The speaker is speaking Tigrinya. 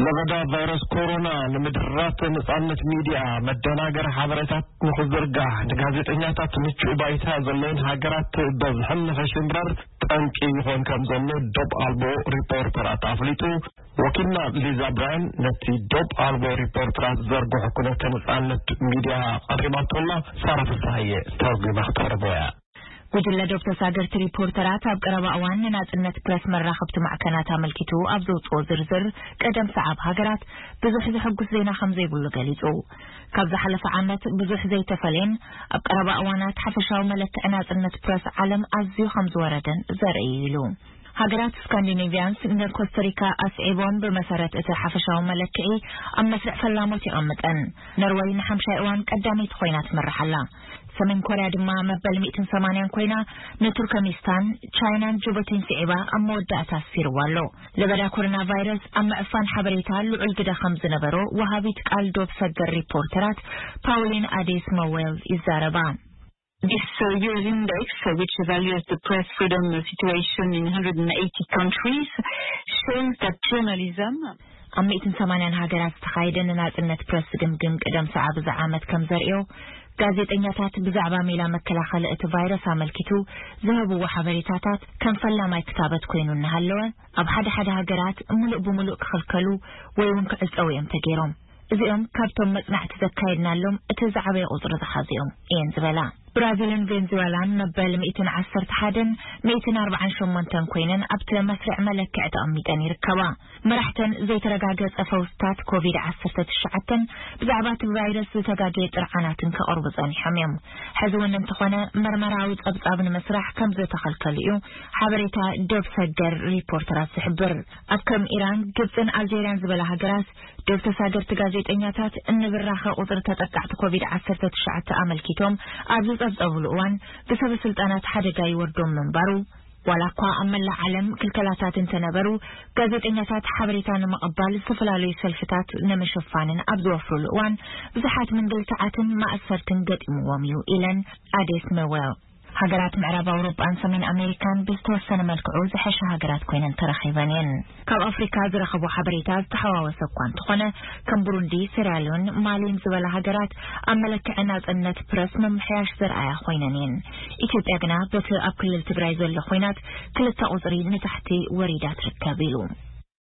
ለበዳ ቫይረስ ኮሮና ንምድራት ነጻነት ሚድያ፣ መደናገሪ ሓበሬታት ንኽዝርጋሕ፣ ንጋዜጠኛታት ምቹእ ባይታ ዘለውን ሃገራት በዝሕን ንኸሽምረር ጠንቂ ይኾን ከም ዘሎ ዶብ ኣልቦ ሪፖርተራት ኣፍሊጡ። ወኪልና ሊዛ ብራያን ነቲ ዶብ ኣልቦ ሪፖርተራት ዘርግሑ ኩነተ ነጻነት ሚድያ ኣቕሪባቶላ። ሳራ ፍስሃየ ተርጉማ ክተቕርቦ እያ። ጉጅለ ዶብ ተሳገርቲ ሪፖርተራት ኣብ ቀረባ እዋን ንናጽነት ፕረስ መራኸብቲ ማዕከናት ኣመልኪቱ ኣብ ዘውጽኦ ዝርዝር፣ ቀደም ሰዓብ ሃገራት ብዙሕ ዘሐጉስ ዜና ከም ዘይብሉ ገሊጹ። ካብ ዝሓለፈ ዓመት ብዙሕ ዘይተፈለየን ኣብ ቀረባ እዋናት ሓፈሻዊ መለክዒ ናጽነት ፕረስ ዓለም ኣዝዩ ከም ዝወረደን ዘርኢ እዩ ኢሉ። ሃገራት ስካንዲኔቪያንስ ንኮስታሪካ ኣስዒቦም፣ ብመሰረት እቲ ሓፈሻዊ መለክዒ ኣብ መስርዕ ፈላሞት የቐምጠን። ኖርወይ ንሓምሻይ እዋን ቀዳመይቲ ኮይና ትመርሕ ኣላ። ሰሜን ኮርያ ድማ መበል ሚእትን ሰማንያን ኮይና ንቱርከሚስታን፣ ቻይናን ጅቡቲን ስዒባ ኣብ መወዳእታ ኣስፊርዋ ኣሎ። ለበዳ ኮሮና ቫይረስ ኣብ ምዕፋን ሓበሬታ ልዑል ግደ ከም ዝነበሮ ወሃቢት ቃል ዶብ ሰገር ሪፖርተራት ፓውሊን ኣዴስ መዌል ይዛረባ። This uh, U S index, uh, which evaluates the press freedom situation in one hundred eighty countries, shows that journalism ኣብ ሚእትን ሰማንያን ሃገራት ዝተኻየደ ንናጽነት ፕረስ ዝግምግም ቅደም ሰዓብ እዚ ዓመት ከም ዘርእዮ፣ ጋዜጠኛታት ብዛዕባ ሜላ መከላኸሊ እቲ ቫይረስ ኣመልኪቱ ዝህብዎ ሓበሬታታት ከም ፈላማይ ክታበት ኮይኑ እናሃለወ፣ ኣብ ሓደ ሓደ ሃገራት ምሉእ ብምሉእ ክኽልከሉ ወይ እውን ክዕጸው እዮም ተገይሮም። እዚኦም ካብቶም መጽናዕቲ ዘካየድናሎም እቲ ዝዓበየ ቁጽሪ ዝሓዙ እዮም እየን ዝበላ። ብራዚልን ቬንዙዌላን መበል ሚእትን ዓሰርተ ሓደን ሚእትን ኣርባዓን ሸሞንተን ኮይነን ኣብቲ መስርዕ መለክዒ ተቐሚጠን ይርከባ። መራሕተን ዘይተረጋገጸ ፈውስታት ኮቪድ ዓሰርተ ትሽዓተን ብዛዕባ እቲ ቫይረስ ዝተጋገየ ጥርዓናትን ከቕርቡ ጸኒሖም እዮም። ሕዚ እውን እንተኾነ መርመራዊ ጸብጻብ ንምስራሕ ከም ዝተኸልከሉ እዩ ሓበሬታ ዶብ ሰገር ሪፖርተራት ዝሕብር። ኣብ ከም ኢራን፣ ግብጽን ኣልጀርያን ዝበላ ሃገራት ዶብ ተሳገርቲ ጋዜጠኛታት እንብራኸ ቁጽሪ ተጠቃዕቲ ኮቪድ ዓሰርተ ትሽዓተ ኣመልኪቶም ኣብ ዝጸብጸብሉ እዋን ብሰበ ስልጣናት ሓደጋ ይወርዶም ምንባሩ፣ ዋላ እኳ ኣብ መላእ ዓለም ክልከላታት እንተነበሩ፣ ጋዜጠኛታት ሓበሬታ ንምቕባል ዝተፈላለዩ ሰልፍታት ንምሽፋንን ኣብ ዝወፍሩሉ እዋን ብዙሓት ምንግልታዓትን ማእሰርትን ገጢምዎም እዩ ኢለን ኣዴስ መዌል። ሃገራት ምዕራብ ኣውሮጳን ሰሜን ኣሜሪካን ብዝተወሰነ መልክዑ ዝሐሸ ሃገራት ኮይነን ተረኺበን እየን። ካብ ኣፍሪካ ዝረኸቦ ሓበሬታ ዝተሓዋወሰ እኳ እንተኾነ፣ ከም ቡሩንዲ፣ ሴራሊዮን፣ ማሊን ዝበላ ሃገራት ኣብ መለክዒ ናጽነት ፕረስ ምምሕያሽ ዘርኣያ ኮይነን እየን። ኢትዮጵያ ግና በቲ ኣብ ክልል ትግራይ ዘሎ ኮይናት ክልተ ቁጽሪ ንታሕቲ ወሪዳ ትርከብ ኢሉ።